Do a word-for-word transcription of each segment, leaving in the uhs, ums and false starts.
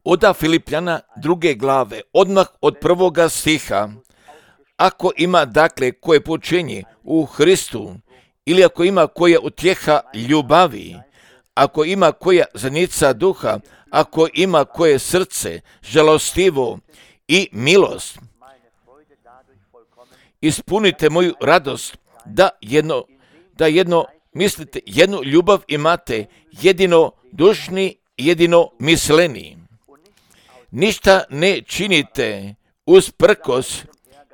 Oda Filipljana druge glave, odmah od prvoga stiha. Ako ima dakle koje poučenje u Hristu, ili ako ima koja utjeha ljubavi, ako ima koja zanica duha, ako ima koje srce žalostivo i milost, ispunite moju radost da jedno, da jedno mislite, jednu ljubav imate, jedino dušni, jedino misleni. Ništa ne činite usprkos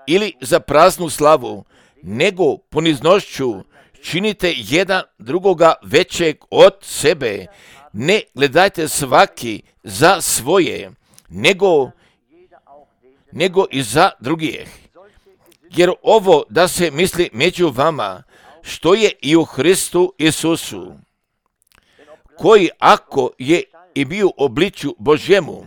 ili za praznu slavu, nego poniznošću činite jedan drugoga većeg od sebe. Ne gledajte svaki za svoje, nego, nego i za drugih. Jer ovo da se misli među vama, što je i u Hristu Isusu, koji ako je i bio u obličju Božjemu,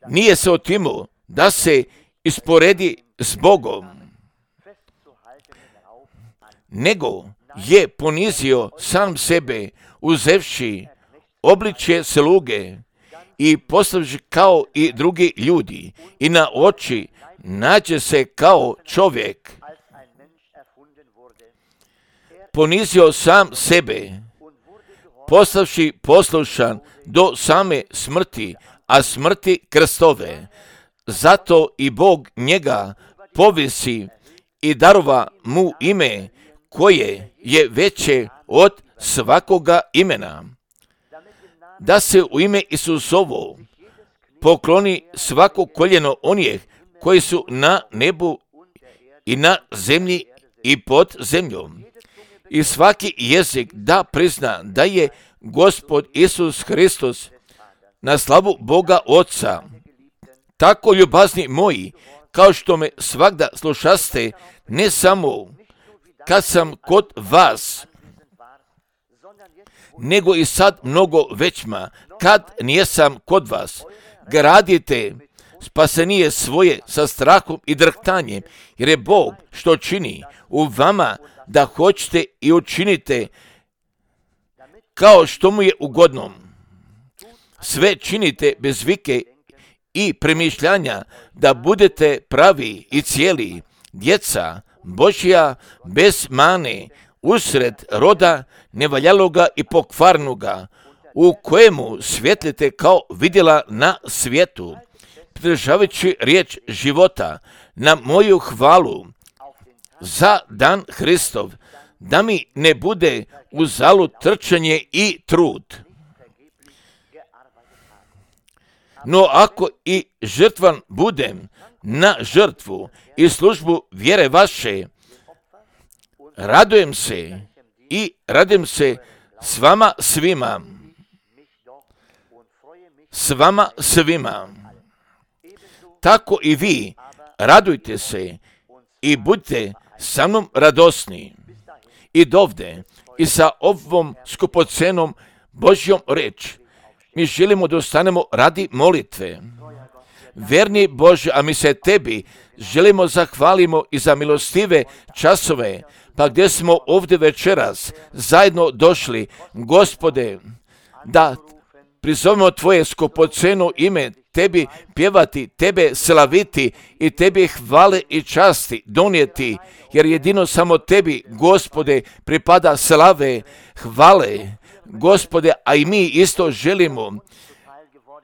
nije se otimao da se isporedi s Bogom, nego je ponizio sam sebe, uzevši obličje sluge i postavši kao i drugi ljudi i na oči nađe se kao čovjek. Ponizio sam sebe, postavši poslušan do same smrti, a smrti krstove. Zato i Bog njega povisi i darova mu ime koje je veće od svakoga imena, da se u ime Isusovo pokloni svako koljeno onih koji su na nebu i na zemlji i pod zemljom, i svaki jezik da prizna da je Gospod Isus Hristos na slavu Boga Oca. Tako, ljubazni moji, kao što me svagda slušaste, ne samo kad sam kod vas, nego i sad mnogo većma, kad nijesam kod vas, gradite spasenije svoje sa strahom i drhtanjem, jer je Bog što čini u vama da hoćete i učinite kao što mu je ugodno. Sve činite bez vike i premišljanja, da budete pravi i cijeli, djeca Božja bez mane, usred roda nevaljaloga i pokvarnoga, u kojemu svjetlite kao vidjela na svijetu, pridržavajući riječ života na moju hvalu za dan Hristov, da mi ne bude uzalud trčanje i trud. No ako i žrtvan budem na žrtvu i službu vjere vaše, radujem se i radujem se s vama svima. S vama svima. Tako i vi radujte se i budite sa mnom radosni. I dovde i sa ovom skupocenom Božjom reč mi želimo da ostanemo radi molitve. Verni Bože, a mi se tebi želimo zahvalimo i za milostive časove, pa gdje smo ovdje večeras zajedno došli, Gospode, da prizovemo tvoje skupoceno ime, tebi pjevati, tebe slaviti i tebi hvale i časti donijeti, jer jedino samo tebi, Gospode, pripada slave, hvale, Gospode, a i mi isto želimo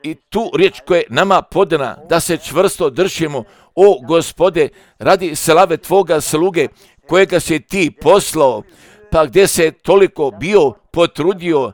i tu riječ koja je nama podana, da se čvrsto držimo, o Gospode, radi slave tvoga sluge, kojega si ti poslao, pa gdje se toliko bio potrudio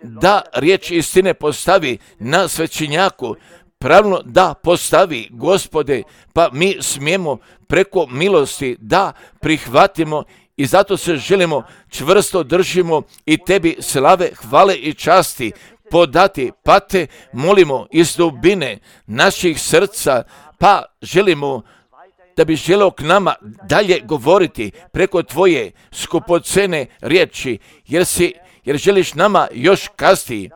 da riječ istine postavi na svećenjaku, pravno da postavi, Gospode, pa mi smijemo preko milosti da prihvatimo i zato se želimo čvrsto držimo i tebi slave, hvale i časti podati, pa te molimo iz dubine naših srca, pa želimo da bi želeo k nama dalje govoriti preko tvoje skupocene riječi, jer si, jer želiš nama još kasti,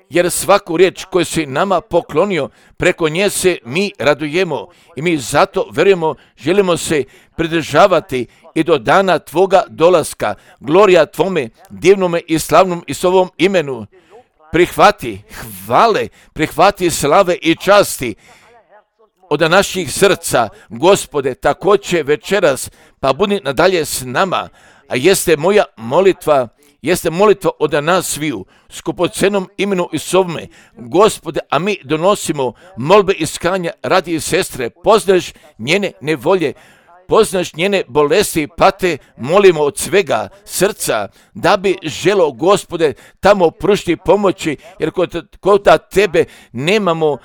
jer svaku riječ koju si nama poklonio, preko nje se mi radujemo i mi zato vjerujemo, želimo se pridržavati i do dana tvoga dolaska. Glorija tvome, divnome i slavnom i s ovom imenu. prihvati hvale, prihvati slave i časti od naših srca, Gospode, također večeras, pa budi nadalje s nama, a jeste moja molitva, jeste molitva od nas sviju, skupocenom imenu Isovome, Gospode, a mi donosimo molbe iskanja radi sestre, poznaš njene nevolje, poznaš njene bolesti, pate, molimo od svega srca, da bi želo, Gospode, tamo pružiti pomoći, jer kod, kod tebe nemamo,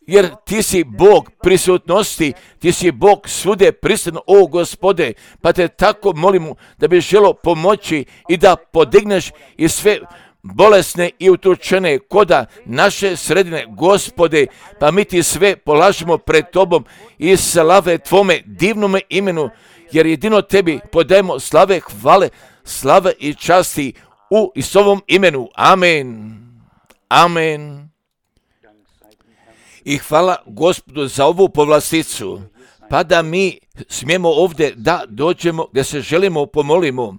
jer ti si Bog prisutnosti, ti si Bog svude prisutan, o Gospode, pa te tako molimo da bi želo pomoći i da podigneš i sve bolesne i utučene koda naše sredine, Gospode, pa mi ti sve polažemo pred tobom i slave tvome divnome imenu, jer jedino tebi podajemo slave, hvale, slave i časti u Isovom imenu. Amen. Amen. I hvala Gospodu za ovu povlasticu, pa da mi smijemo ovdje da dođemo, gdje se želimo pomolimo,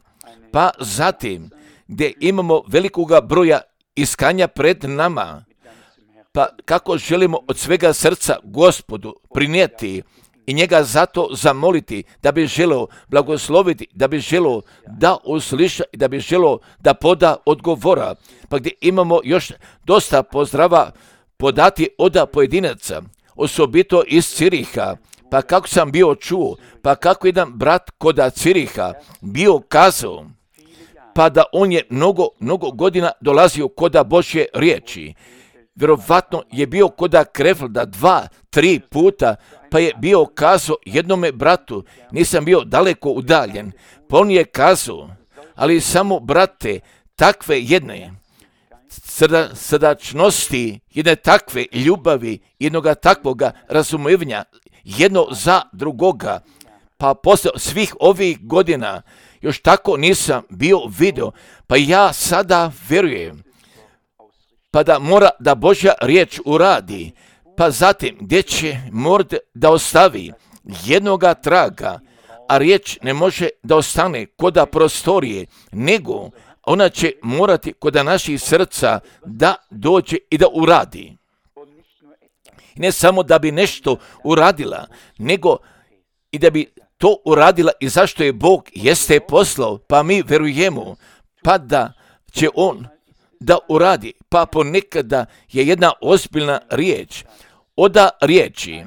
pa zatim gdje imamo velikoga broja iskanja pred nama, pa kako želimo od svega srca Gospodu prinijeti i njega zato zamoliti, da bi želio blagosloviti, da bi želio da usliša i da bi želio da poda odgovora, pa gdje imamo još dosta pozdrava podati od pojedinaca, osobito iz Ciriha, pa kako sam bio čuo, pa kako jedan brat koda Ciriha bio kazao, pa da on je mnogo, mnogo godina dolazio koda Božje riječi. Vjerovatno je bio koda Krefelda dva, tri puta, pa je bio kazao jednome bratu, nisam bio daleko udaljen, pa on je kazao, ali samo brate, takve jedne srda, srdačnosti, jedne takve ljubavi, jednoga takvoga razumijevanja, jedno za drugoga, pa posle svih ovih godina još tako nisam bio vidio, pa ja sada vjerujem, pa da mora da Božja riječ uradi, pa zatim gdje će mora da ostavi jednoga traga, a riječ ne može da ostane koda prostorije, nego ona će morati koda naših srca da dođe i da uradi. I ne samo da bi nešto uradila, nego i da bi to uradila i zašto je Bog jeste poslao, pa mi verujemo, pa da će On da uradi, pa ponekada je jedna ozbiljna riječ, oda riječi,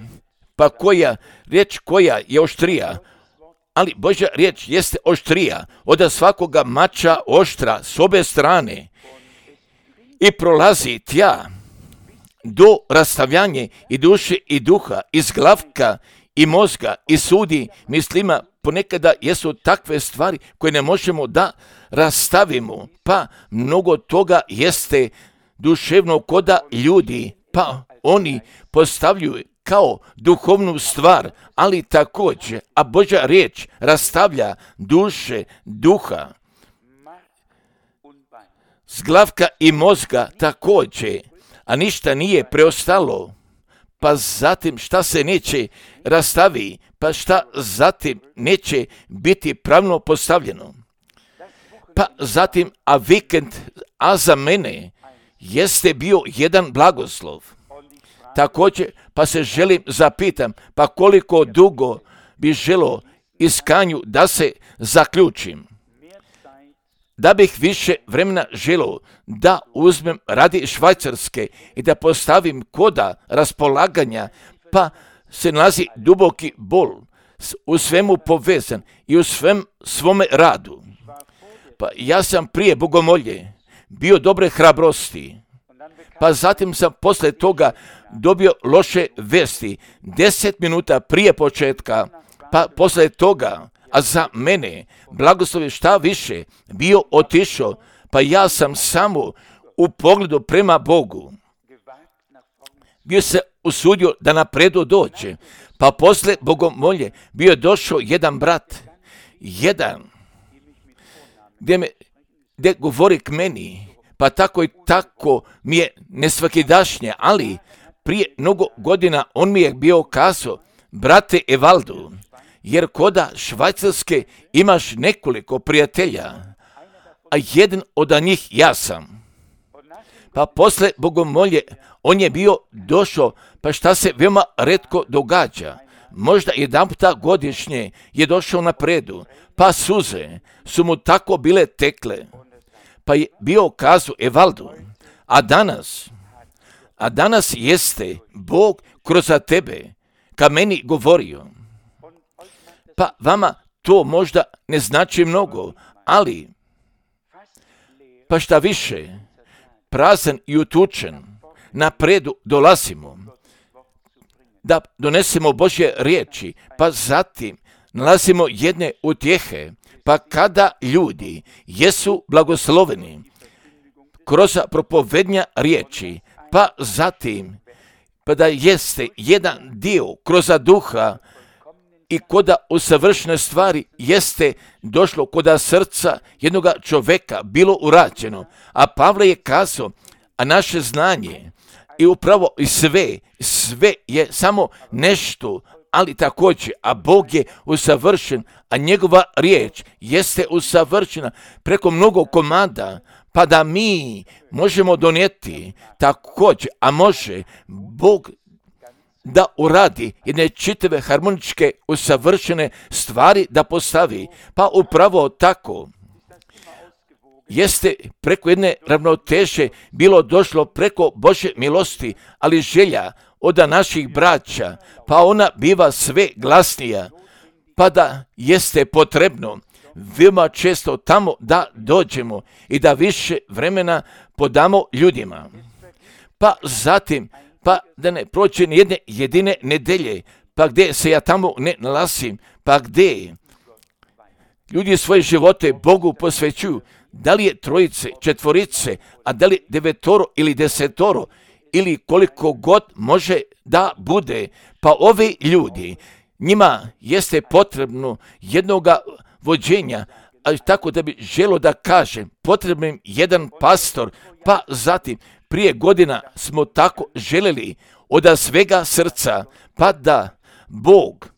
pa koja, riječ koja je oštrija, ali Božja riječ jeste oštrija, oda svakoga mača oštra s obe strane i prolazi tja do rastavljanja i duše i duha, iz glavka i mozga i sudi mislima. Ponekada jesu takve stvari koje ne možemo da rastavimo, pa mnogo toga jeste duševno koda ljudi, pa oni postavljaju kao duhovnu stvar, ali također, a Božja riječ rastavlja duše, duha, s glavka i mozga također, a ništa nije preostalo. Pa zatim šta se neće rastavi, pa šta zatim neće biti pravno postavljeno. Pa zatim, a vikend, a za mene jeste bio jedan blagoslov. Također, pa se želim zapitam, pa koliko dugo bi želo iskanju da se zaključim. Da bih više vremena želio da uzmem radi Švajcarske i da postavim koda raspolaganja, pa se nalazi duboki bol u svemu povezan i u svem svome radu. Pa ja sam prije bogomolje bio dobre hrabrosti, pa zatim sam posle toga dobio loše vesti deset minuta prije početka, pa posle toga, a za mene blagoslov je šta više bio otišao, pa ja sam samo u pogledu prema Bogu bio se usudio da napredu dođe, pa posle bogomolje bio je došao jedan brat, jedan, gdje, me, gdje govori k meni, pa tako i tako mi je nesvakidašnje, ali prije mnogo godina on mi je bio kazao, brate Evaldu, jer koda Švajcarske imaš nekoliko prijatelja, a jedan od njih ja sam. Pa posle bogomolje, on je bio došao, pa šta se veoma retko događa. Možda jedan puta godišnje je došao na predu, pa suze su mu tako bile tekle, pa je bio kazao Evaldu, a danas, a danas jeste Bog kroz tebe ka meni govorio. Pa vama to možda ne znači mnogo, ali pa šta više, prazan i utučen, na predu dolazimo da donesemo Božje riječi, pa zatim nalazimo jedne utjehe, pa kada ljudi jesu blagosloveni kroz propovednja riječi, pa zatim pa da jeste jedan dio kroz duha i koda usavršene stvari jeste došlo koda srca jednoga čoveka bilo urađeno. A Pavle je kazao, a naše znanje i upravo i sve, sve je samo nešto, ali također, a Bog je usavršen, a njegova riječ jeste usavršena preko mnogo komada, pa da mi možemo donijeti također, a može Bog da uradi jedne čitave harmoničke usavršene stvari da postavi. Pa upravo tako jeste preko jedne ravnoteže bilo došlo preko Božje milosti, ali želja od naših braća, pa ona biva sve glasnija, pa da jeste potrebno veoma često tamo da dođemo i da više vremena podamo ljudima. Pa zatim, pa da ne prođe ni jedne jedine nedelje, pa gdje se ja tamo ne nalazim, pa gdje ljudi svoje živote Bogu posvećuju, da li je trojice, četvorice, a da li devetoro ili desetoro, ili koliko god može da bude, pa ovi ljudi, njima jeste potrebno jednoga vođenja, ali tako da bi želo da kažem, potrebno im jedan pastor, pa zatim prije godina smo tako želeli od svega srca, pa da Bog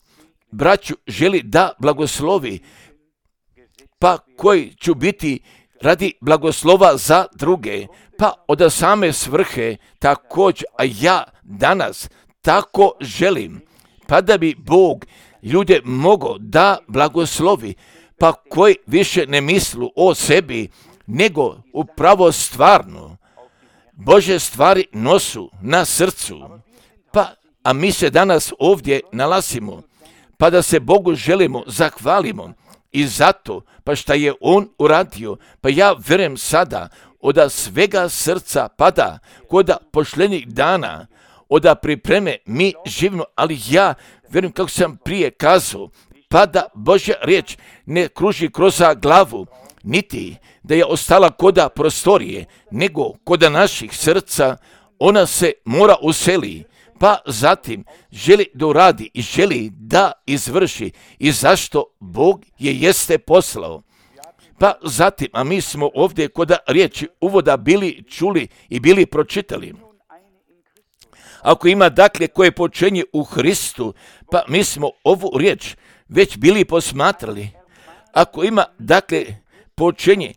braću želi da blagoslovi, pa koji ću biti radi blagoslova za druge, pa od same svrhe također, a ja danas tako želim, pa da bi Bog ljude mogao da blagoslovi, pa koji više ne mislu o sebi, nego upravo stvarno Bože stvari nosu na srcu. Pa, a mi se danas ovdje nalazimo, pa da se Bogu želimo, zahvalimo i zato, pa šta je On uradio, pa ja vjerujem sada, od svega srca pada, kod pošlenih dana, od pripreme mi živimo, ali ja vjerujem kako sam prije kazao, pa da Božja riječ ne kruži kroz glavu, niti da je ostala koda prostorije, nego koda naših srca, ona se mora useli, pa zatim želi da uradi i želi da izvrši i zašto Bog je jeste poslao. Pa zatim, a mi smo ovdje koda riječi uvoda bili čuli i bili pročitali. Ako ima dakle koje počinje u Hristu, pa mi smo ovu riječ već bili posmatrali. Ako ima dakle počinje,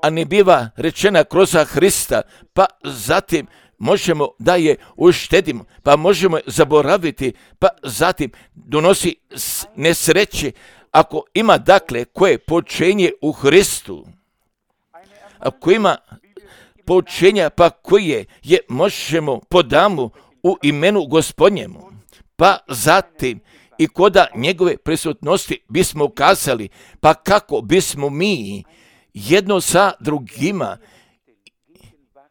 a ne biva rečena kroz Hrista, pa zatim možemo da je uštedimo, pa možemo zaboraviti, pa zatim donosi nesreće. Ako ima dakle koje počinje u Hristu, ako ima poučenja pa koje je možemo podamo u imenu Gospodnjemu, pa zatim i koda njegove prisutnosti bismo kazali, pa kako bismo mi jedno sa drugima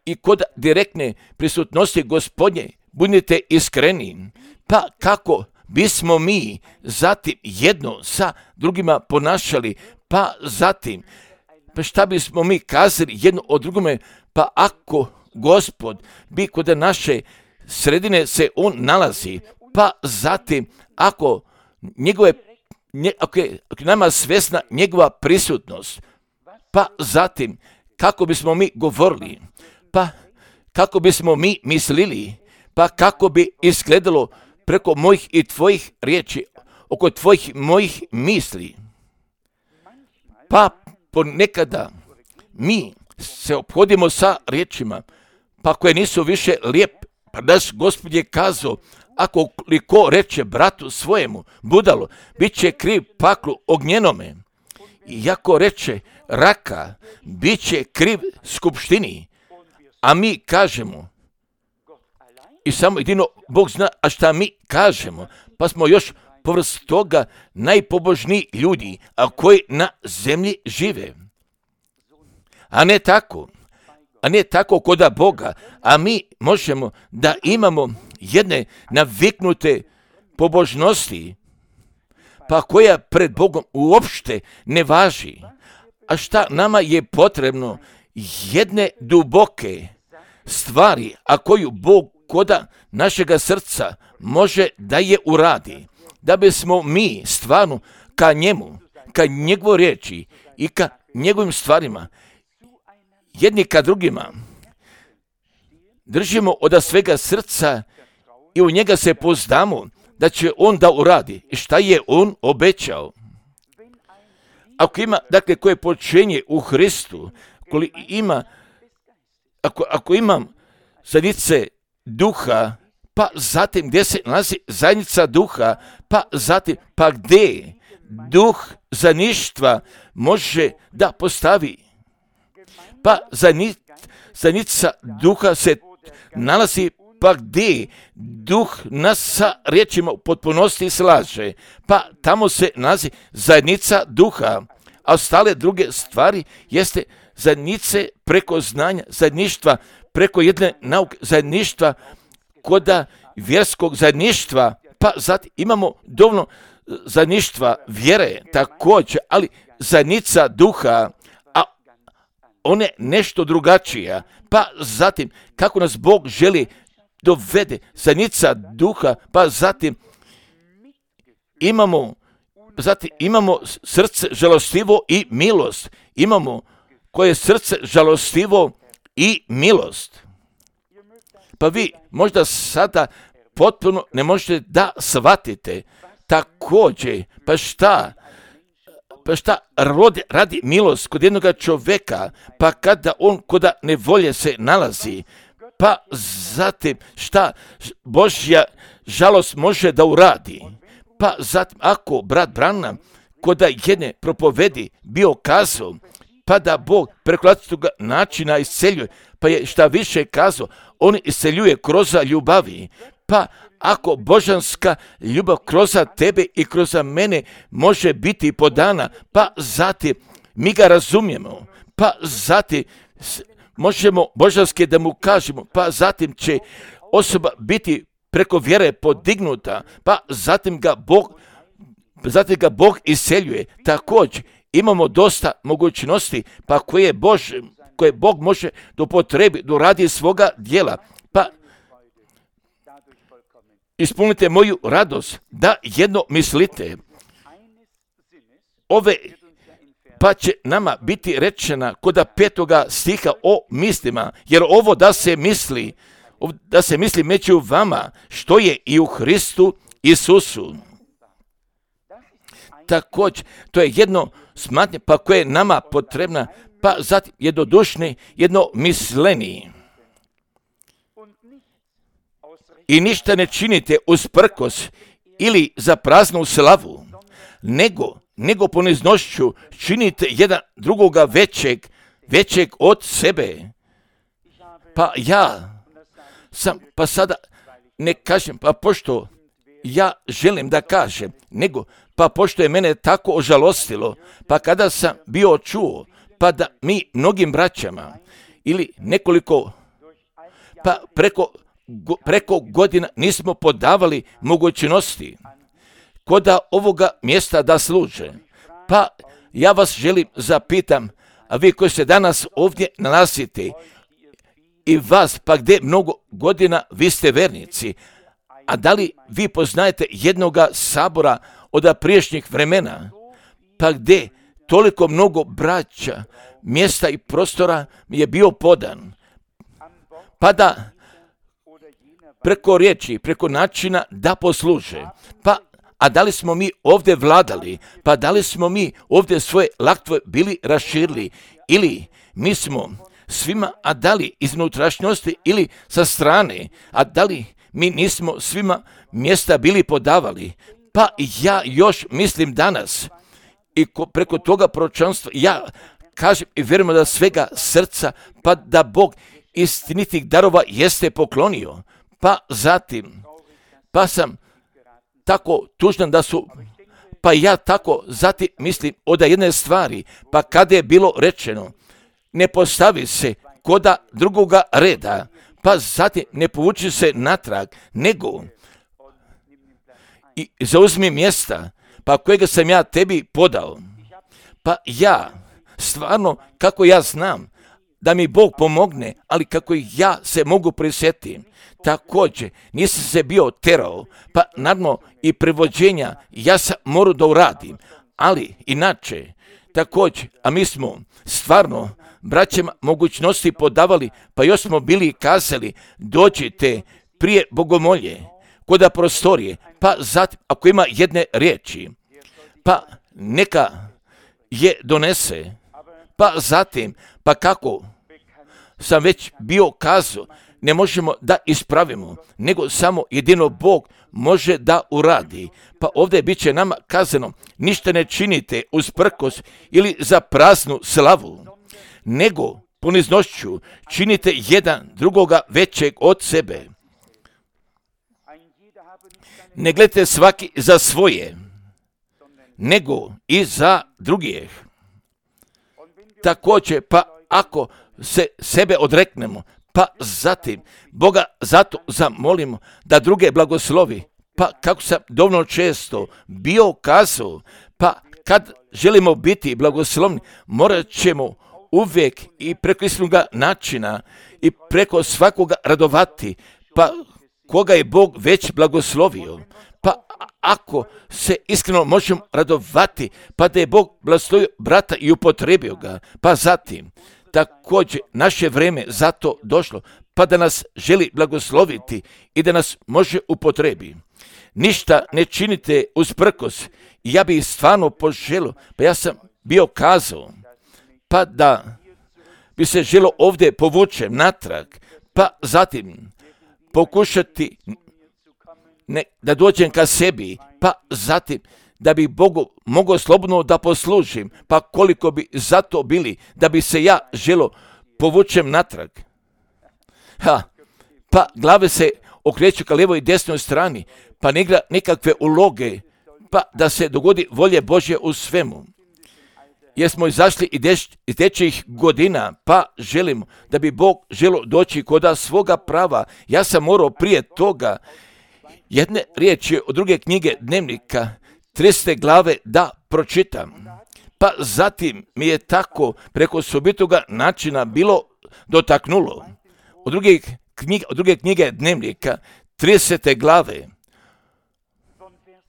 i kod direktne prisutnosti Gospodnje budite iskreni, pa kako bismo mi zatim jedno sa drugima ponašali, pa zatim pa šta bismo mi kazali jedno o drugome, pa ako Gospod bi kod naše sredine se on nalazi, pa zatim ako njegove, nje, ako je ako nama svesna njegova prisutnost, pa zatim kako bismo mi govorili, pa kako bismo mi mislili, pa kako bi izgledalo preko mojih i tvojih riječi, oko tvojih mojih misli. Pa ponekada mi se ophodimo sa riječima, pa koje nisu više lijepe. Pa naš Gospod je kazao, ako li ko reče bratu svojemu budalo, bit će kriv paklu ognjenome. I ako reče raka, bit će kriv skupštini. A mi kažemo, i samo jedino Bog zna, a šta mi kažemo, pa smo još povrst toga najpobožniji ljudi, a koji na zemlji žive. A ne tako, a ne tako koda Boga, a mi možemo da imamo jedne naviknute pobožnosti, pa koja pred Bogom uopšte ne važi. A šta nama je potrebno? Jedne duboke stvari, a koju Bog koda našega srca može da je uradi, da bismo mi stvarno ka njemu, ka njegovoj riječi i ka njegovim stvarima, jedni ka drugima, držimo od svega srca i u njega se pozdamo da će on da uradi. I šta je on obećao? Ako ima, dakle, koje počinje u Hristu, koli ima, ako, ako imam zajednice duha, pa zatim gdje se nalazi zajednica duha, pa zatim, pa gdje duh zajedništva može da postavi? Pa zajednica duha se nalazi, pa gdje duh nas sa riječima u potpunosti slaže, pa tamo se nalazi zajednica duha, a ostale druge stvari jeste zajednice preko znanja, zajedništva preko jedne nauke, zajedništva koda vjerskog zajedništva, pa zatim imamo dovoljno zajedništva vjere također, ali zajednica duha, a one nešto drugačija, pa zatim kako nas Bog želi dovede, zajednica duha, pa zatim imamo, zatim imamo srce žalostivo i milost, imamo koje srce žalostivo i milost. Pa vi možda sada potpuno ne možete da shvatite također, pa šta, pa šta radi, radi milost kod jednog čovjeka, pa kada on koda nevolje se nalazi, pa zatim šta Božja žalost može da uradi, pa zatim ako brat Branham koda jedne propovedi bio kazao, pa da Bog preko različitog načina isceljuje, pa je šta više kazao, on isceljuje kroz ljubavi, pa ako božanska ljubav kroz tebe i kroz mene može biti podana, pa zatim mi ga razumijemo, pa zatim možemo božanske da mu kažemo, pa zatim će osoba biti preko vjere podignuta, pa zatim ga Bog, zatim ga Bog isceljuje. Također imamo dosta mogućnosti, pa koje, Bož, koje Bog može da upotrebi, da radi svoga djela, pa ispunite moju radost, da jedno mislite, ove, pa će nama biti rečena koda petoga stiha o mislima, jer ovo da se misli, da se misli među vama, što je i u Hristu Isusu. Također, to je jedno smatnje, pa koje je nama potrebna, pa zatim jednodušni, jedno misleni. I ništa ne činite usprkos ili za praznu slavu, nego, nego poniznošću činite jedan drugoga većeg, većeg od sebe. Pa ja sam, pa sada ne kažem, pa pošto ja želim da kažem, nego, pa pošto je mene tako ožalostilo, pa kada sam bio čuo, pa da mi mnogim braćama ili nekoliko, pa preko preko godina nismo podavali mogućnosti koda ovoga mjesta da služe. Pa ja vas želim zapitam, a vi koji se danas ovdje nalazite i vas, pa gdje mnogo godina vi ste vernici, a da li vi poznajete jednoga sabora od prijašnjih vremena, pa gdje toliko mnogo braća, mjesta i prostora mi je bio podan, pa da preko riječi, preko načina da posluže. Pa, a da li smo mi ovdje vladali? Pa da li smo mi ovdje svoje laktve bili raširili? Ili mi smo svima, a da li iz unutrašnjosti ili sa strane, a da li mi nismo svima mjesta bili podavali. Pa ja još mislim danas i preko toga proročanstva ja kažem i vjerujem da svega srca, pa da Bog istinitih darova jeste poklonio. Pa zatim, pa sam tako tužan da su, pa ja tako zatim mislim od jedne stvari, pa kada je bilo rečeno, ne postavi se koda drugoga reda, pa zatim ne povuči se natrag, nego i zauzmi mjesta, pa kojega sam ja tebi podao. Pa ja, stvarno, kako ja znam, da mi Bog pomogne, ali kako ja se mogu prisjetiti. Također, nisam se bio terao, pa naravno i prevođenja ja sam morao da uradim, ali inače, također, a mi smo stvarno braćama mogućnosti podavali, pa još smo bili kazali, dođite prije bogomolje, koda prostorije, pa zatim, ako ima jedne riječi, pa neka je donese, pa zatim, pa kako sam već bio kazao, ne možemo da ispravimo, nego samo jedino Bog može da uradi. Pa ovdje bit će nama kazano, ništa ne činite usprkos ili za praznu slavu, nego poniznošću činite jedan drugoga većeg od sebe. Ne gledajte svaki za svoje, nego i za drugih. Također, pa ako se sebe odreknemo, pa zatim Boga zato zamolimo da druge blagoslovi, pa kako sam dovoljno često bio kazao, pa kad želimo biti blagoslovni, morat ćemo uvijek i preko istoga načina i preko svakoga radovati, pa koga je Bog već blagoslovio. Pa ako se iskreno možemo radovati, pa da je Bog blagoslovio brata i upotrebio ga, pa zatim također naše vrijeme zato došlo, pa da nas želi blagosloviti i da nas može upotrebi. Ništa ne činite usprkos, i ja bih stvarno poželio, pa ja sam bio kazao, pa da bi se želo ovdje povučem natrag, pa zatim pokušati ne, da dođem ka sebi, pa zatim da bi Bogu mogao slobodno da poslužim, pa koliko bi zato bili, da bi se ja želo povučem natrag. Ha, pa glave se okreću ka lijevoj i desnoj strani, pa ne igra nikakve uloge, pa da se dogodi volje Božje u svemu. Jer smo izašli iz dečjih godina, pa želimo da bi Bog želo doći koda svoga prava. Ja sam morao prije toga jedne riječi od druge knjige Dnevnika, tridesete glave, da pročitam. Pa zatim mi je tako preko osobitoga načina bilo dotaknulo. Od druge knjige, od druge knjige Dnevnika, tridesete glave,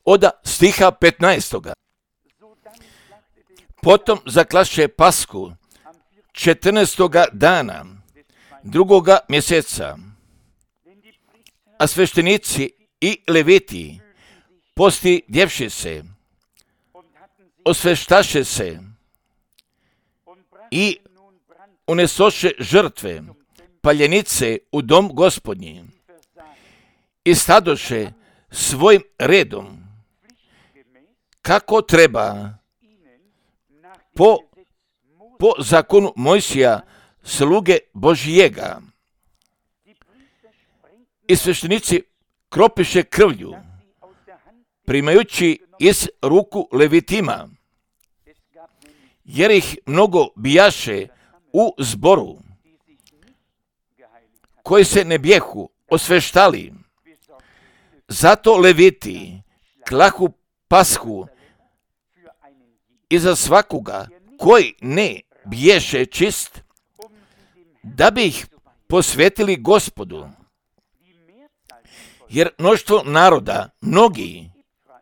od stiha petnaestoga. Potom zaklaše Pasku četrnaestoga dana drugoga mjeseca, a sveštenici i leviti postidjevši se, osveštaše se i unesoše žrtve paljenice u dom Gospodnji i stadoše svojim redom kako treba po, po zakonu Mojsija sluge Božijega. I sveštenici kropiše krvlju, primajući iz ruku levitima, jer ih mnogo bijaše u zboru, koji se ne bijehu osveštali. Zato leviti klahu pashu iza svakoga koji ne biješe čist, da bi ih posvetili Gospodu. Jer mnoštvo naroda, mnogi,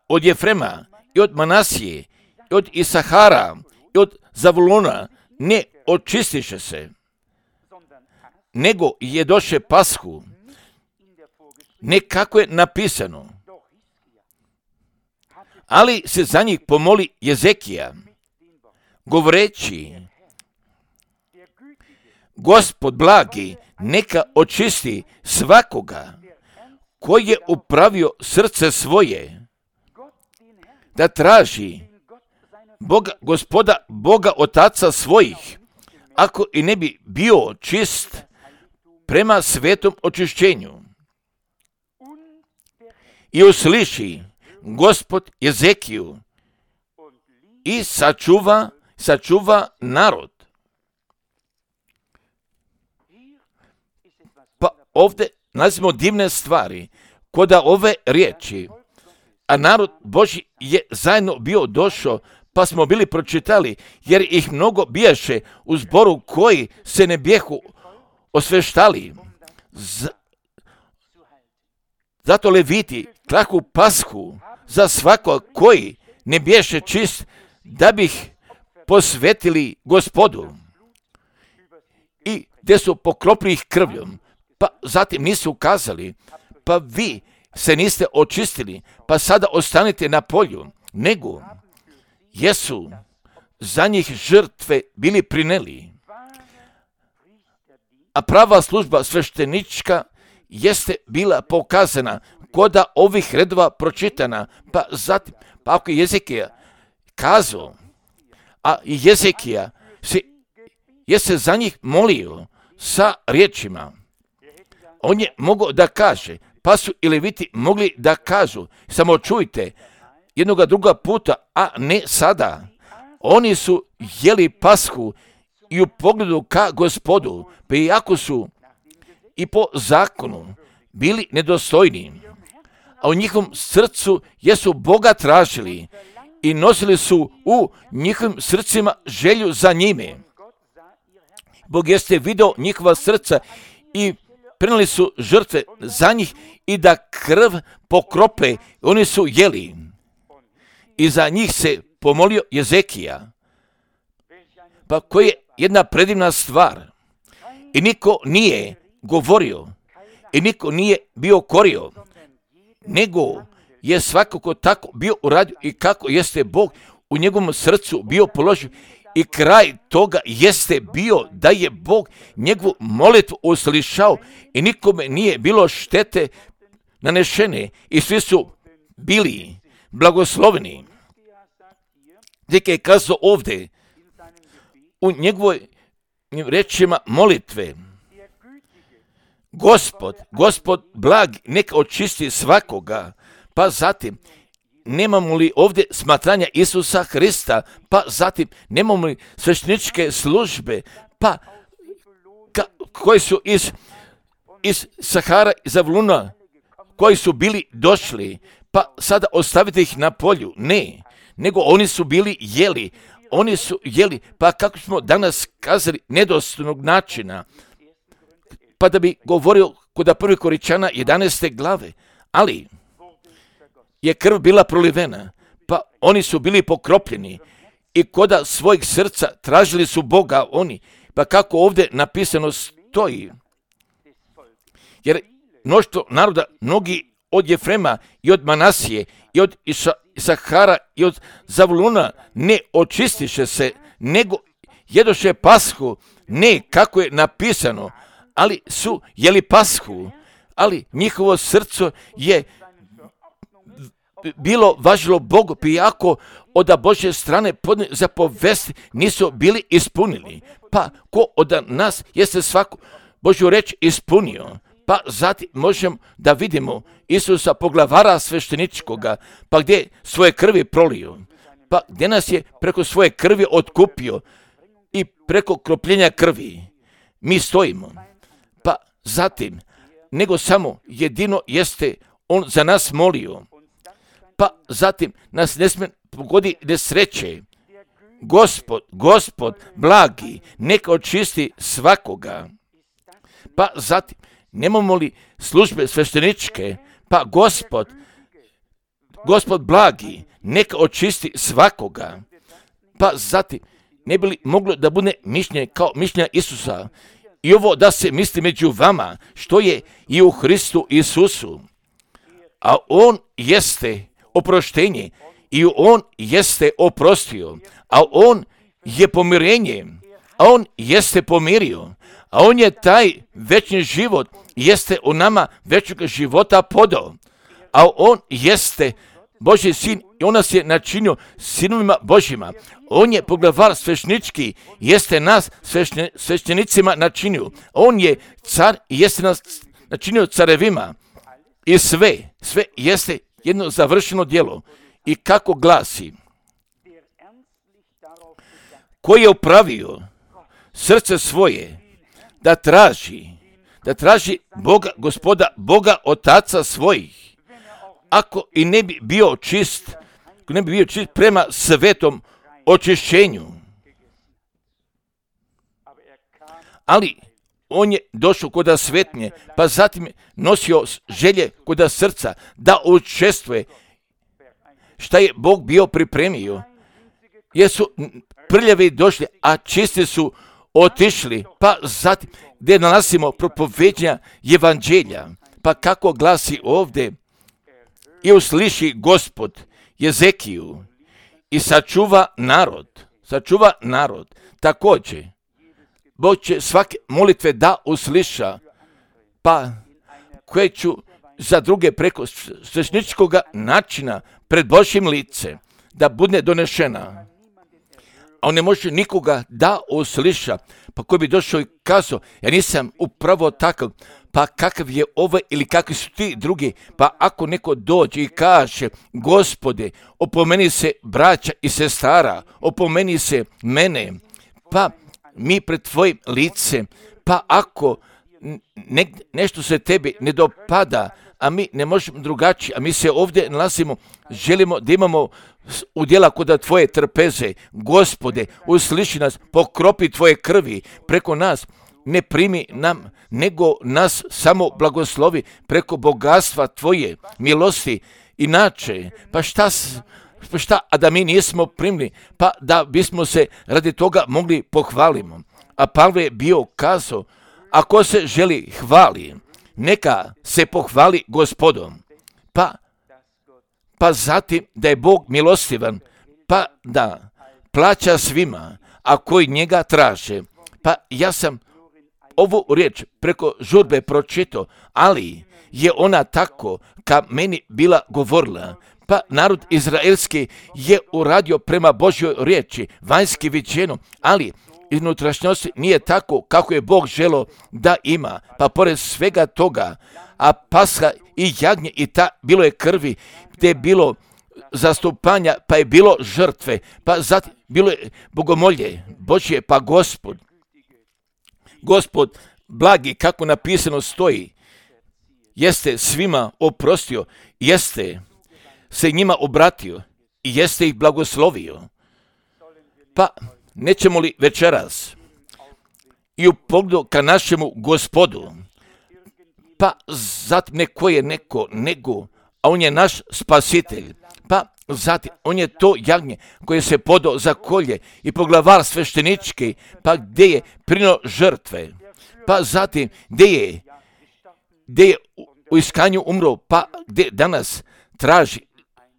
od Jefrema i od Manasije, i od Isahara, i od Zavulona, ne očistiše se, nego jedoše pashu, ne kako je napisano. Ali se za njih pomoli Jezekija, govoreći, Gospod blagi neka očisti svakoga koji je upravio srce svoje da traži Boga, Gospoda, Boga Otaca svojih, ako i ne bi bio čist prema svetom očišćenju. I usliši Gospod Jezekiju i sačuva, sačuva narod. Pa ovdje nalazimo divne stvari kod ove riječi, a narod Božji je zajedno bio došao, pa smo bili pročitali, jer ih mnogo bijaše u zboru koji se ne bijehu osveštali. Z... Zato leviti klaku pashu za svako koji ne biješe čist, da bi ih posvetili Gospodu. I gdje su pokropili ih krvljom, pa zatim nisu ukazali, pa vi se niste očistili, pa sada ostanite na polju, nego jesu za njih žrtve bili prineli. A prava služba sveštenička jeste bila pokazana koda ovih redova pročitana, pa zatim, pa ako je Jezekija kazao, a i Jezekija se, je se za njih molio sa riječima, on je mogao da kaže, pa su i leviti mogli da kažu, samo čujte, jednoga druga puta, a ne sada. Oni su jeli pashu i u pogledu ka Gospodu, pa iako su i po zakonu bili nedostojni, a u njihovom srcu jesu Boga tražili i nosili su u njihovim srcima želju za njime. Bog jeste video njihova srca i prenijeli su žrtve za njih i da krv pokrope, oni su jeli. I za njih se pomolio Jezekija. Pa koja je jedna predivna stvar. I niko nije govorio i niko nije bio korio, nego je svakako tako bio uradio i kako jeste Bog u njegovom srcu bio položio. I kraj toga jeste bio da je Bog njegovu molitvu uslišao i nikome nije bilo štete nanešene i svi su bili blagosloveni. Deke je kazao ovdje u njegovoj rečima molitve, Gospod, Gospod blag neka očisti svakoga, pa zatim nemamo li ovdje smatranja Isusa Hrista, pa zatim nemamo li svešteničke službe, pa ka, koji su iz, iz Sahara i Zavuluna, koji su bili došli, pa sada ostavite ih na polju. Ne, nego oni su bili jeli, oni su jeli, pa kako smo danas kazali, nedostojnog načina, pa da bi govorio kod prvi Koričana jedanaeste glave, ali je krv bila prolivena, pa oni su bili pokropljeni i koda svojih srca tražili su Boga oni, pa kako ovdje napisano stoji, jer mnoštvo naroda, mnogi od Jefrema i od Manasije i od Isahara i od Zavuluna ne očistiše se, nego jedoše pashu, ne kako je napisano, ali su jeli pashu, ali njihovo srce je bilo važilo Bogu, iako od Božje strane zapovesti nisu bili ispunili. Pa ko od nas jeste svaku Božju reč ispunio, pa zatim možemo da vidimo Isusa poglavara svešteničkoga, pa gdje svoje krvi prolio, pa gdje nas je preko svoje krvi otkupio i preko kropljenja krvi mi stojimo. Pa zatim, nego samo jedino jeste on za nas molio, pa zatim nas ne smije pogodi nesreće. Gospod, Gospod blagi, neka očisti svakoga. Pa zatim, nemamo li službe svešteničke, pa Gospod, Gospod blagi, neka očisti svakoga. Pa zatim, ne bi li moglo da bude mišljenje kao mišljenja Isusa, i ovo da se misli među vama, što je i u Hristu Isusu. A on jeste oproštenje i on jeste oprostio, a on je pomirenje, a on jeste pomirio, a on je taj večni život, jeste u nama večnog života podao, a on jeste Božji sin i on nas je načinio sinovima Božjima. On je poglavar svešnički, jeste nas svešne, sveštenicima načinio. On je car i jeste nas načinio carevima. I sve, sve jeste jedno završeno djelo. I kako glasi, koji je upravio srce svoje da traži, da traži Boga, Gospoda, Boga Otaca svojih, ako i ne bi bio čist, ako ne bi bio čist prema svetom očišćenju. Ali on je došao koda svetnje, pa zatim je nosio želje koda srca da učestvuje šta je Bog bio pripremio. Jer su prljavi došli, a čisti su otišli, pa zatim gdje nalazimo propoveđenja evanđelja, pa kako glasi ovdje, i usliši Gospod Jezekiju i sačuva narod, sačuva narod. Također, Bog će svake molitve da usliša, pa koje ću za druge preko svešničkog načina pred Božjim lice da bude donešena. A on ne može nikoga da usliša, pa koji bi došao i kazao, ja nisam upravo takav, pa kakav je ovaj ili kakvi su ti drugi, pa ako neko dođe i kaže, Gospode, opomeni se braća i sestara, opomeni se mene, pa mi pred tvojim licem, pa ako ne, nešto se tebi ne dopada, a mi ne možemo drugačije, a mi se ovdje nalazimo, želimo da imamo udjela kod tvoje trpeze, Gospode, usliši nas, pokropi tvoje krvi preko nas, ne primi nam, nego nas samo blagoslovi preko bogatstva tvoje milosti. Inače, pa šta, pa šta, a da mi nismo primili, pa da bismo se radi toga mogli pohvalimo. A Pavle je bio kazao, ako se želi hvali, neka se pohvali Gospodom. Pa, pa zatim da je Bog milostivan, pa da plaća svima, a koji njega traže. Pa ja sam ovu riječ preko žurbe pročitao, ali je ona tako ka meni bila govorila. Pa narod izraelski je uradio prema Božjoj riječi, vanjski viđeno, ali iznutrašnjosti nije tako kako je Bog želio da ima. Pa pored svega toga, a Pasha i jagnje i ta bilo je krvi, gdje je bilo zastupanja, pa je bilo žrtve, pa zatim bilo je bogomolje Božje, pa Gospod, Gospod blagi, kako napisano stoji, jeste svima oprostio, jeste se njima obratio i jeste ih blagoslovio. Pa nećemo li večeras i u pogledu ka našemu Gospodu, pa zatim neko je neko nego, a on je naš spasitelj, pa zatim on je to jagnje koje se podao za kolje i poglavar sveštenički, pa gdje je prino žrtve, pa zatim gdje je, gdje je u iskanju umro, pa gdje danas traži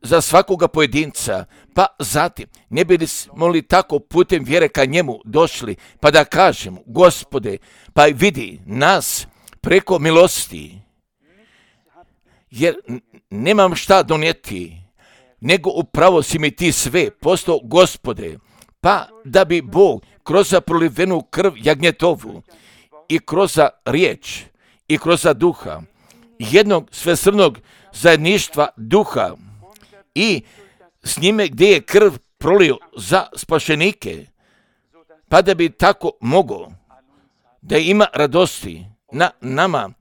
za svakoga pojedinca, pa zatim ne bi smo li tako putem vjere ka njemu došli, pa da kažemo, Gospode, pa vidi nas preko milosti, jer nemam šta donijeti, nego upravo si mi ti sve postao, Gospode, pa da bi Bog kroz prolivenu krv jagnjetovu i kroz riječ i kroz duha, jednog svesrnog zajedništva duha i s njime gdje je krv prolio za spašenike, pa da bi tako mogao da ima radosti na nama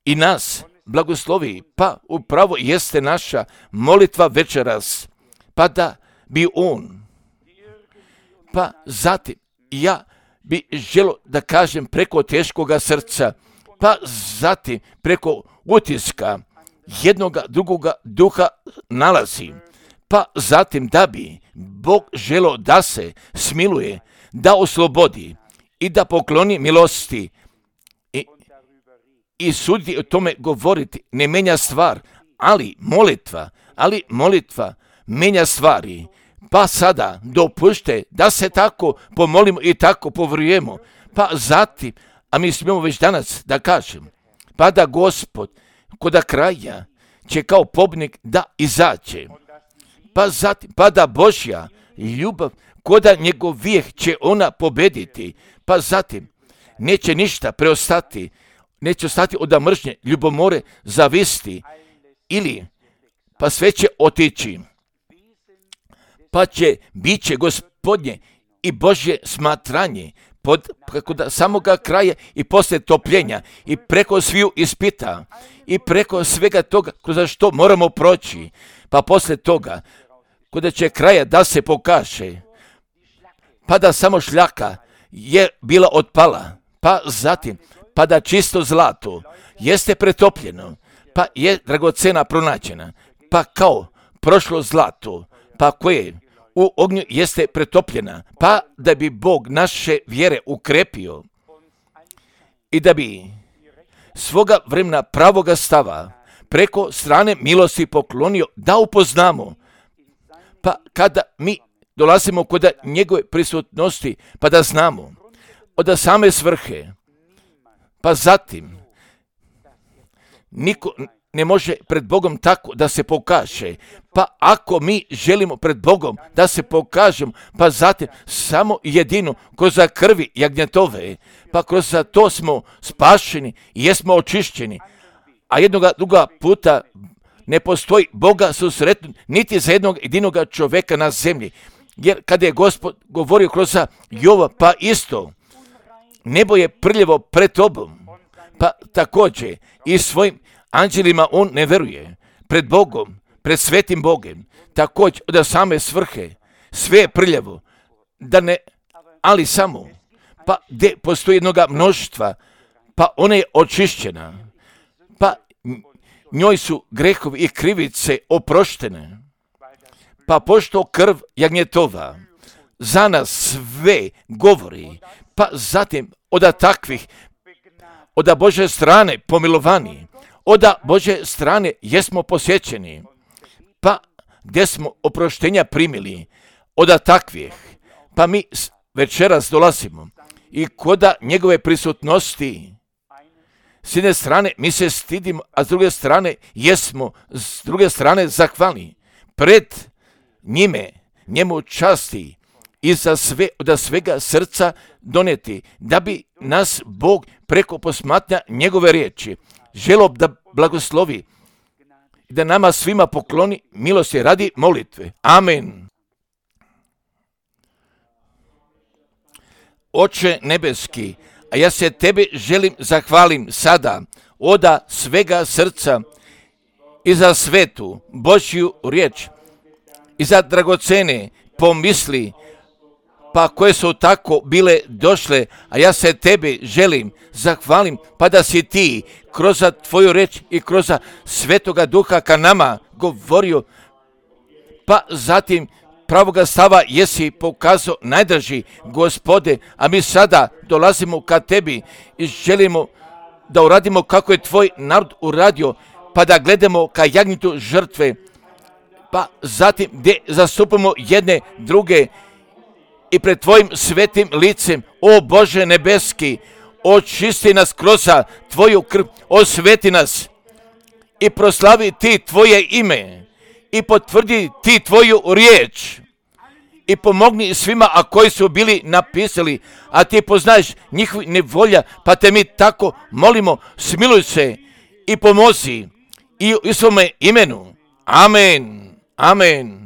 i nas blagoslovi, pa upravo jeste naša molitva večeras, pa da bi on, pa zatim ja bi želio da kažem preko teškoga srca, pa zatim preko utiska jednoga drugoga duha nalazi, pa zatim da bi Bog želio da se smiluje, da oslobodi i da pokloni milosti i, i sudi o tome govoriti, ne menja stvar, ali molitva, ali molitva menja stvari. Pa sada dopušte da se tako pomolimo i tako povjerujemo, pa zatim a mi smijemo već danas da kažem, pa da Gospod koda kraja će kao pobjednik da izađe, pa zatim, pa da Božja ljubav koda njegov vijek će ona pobediti, pa zatim neće ništa preostati, neće ostati od mržnje, ljubomore, zavisti, ili pa sve će otići, pa će biće Gospodnje i Božje smatranje pod preko da samoga kraja i poslije topljenja i preko sviju ispita i preko svega toga kroz što moramo proći, pa poslije toga kada će kraja da se pokaže, pa da samo šljaka je bila otpala, pa zatim pa da čisto zlato jeste pretopljeno, pa je dragocena pronađena, pa kao prošlo zlato, pa koje u ognju jeste pretopljena, pa da bi Bog naše vjere ukrepio i da bi svoga vremena pravoga stava preko strane milosti poklonio da upoznamo, pa kada mi dolazimo kod njegove prisutnosti, pa da znamo od same svrhe, pa zatim niko ne može pred Bogom tako da se pokaže, pa ako mi želimo pred Bogom da se pokažemo, pa zatim samo jedino kroz krvi jagnjetove, pa kroz to smo spašeni i jesmo očišćeni, a jednoga druga puta ne postoji Boga susretnu niti za jednog jedinoga čovjeka na zemlji, jer kada je Gospod govorio kroz Jova, pa isto, nebo je prljevo pred tobom, pa također i svojim anđelima on ne veruje, pred Bogom, pred svetim Bogom, također od same svrhe, sve je prljavo, da ne, ali samo, pa gdje postoji jednoga mnoštva, pa ona je očišćena, pa njoj su grehovi i krivice oproštene, pa pošto krv jagnjetova za nas sve govori, pa zatim od takvih, od Bože strane pomilovani, od Bože strane jesmo posjećeni, pa gdje smo oproštenja primili od takvih, pa mi večeras dolazimo i koda njegove prisutnosti, s jedne strane mi se stidimo, a s druge strane jesmo, s druge strane zahvalni pred njime, njemu časti i za sve, od svega srca doneti, da bi nas Bog preko posmatranja njegove riječi želio da blagoslovi i da nama svima pokloni milosti radi molitve. Amen. Oče nebeski, a ja se tebi želim zahvalim sada od svega srca i za svetu Božju riječ i za dragocene pomisli, pa koje su tako bile došle, a ja se tebi želim zahvalim, pa da si ti kroz tvoju reč i kroz Svetoga Duha ka nama govorio, pa zatim pravoga stava jesi pokazao najdraži Gospode, a mi sada dolazimo ka tebi i želimo da uradimo kako je tvoj narod uradio, pa da gledamo ka jagnjetu žrtve, pa zatim gdje zastupamo jedne druge i pred tvojim svetim licem, o Bože nebeski, očisti nas kroz tvoju krv, osveti nas i proslavi ti tvoje ime i potvrdi ti tvoju riječ i pomogni svima, a koji su bili napisali, a ti poznaješ njihovi nevolja, pa te mi tako molimo, smiluj se i pomozi i u svome imenu. Amen. Amen.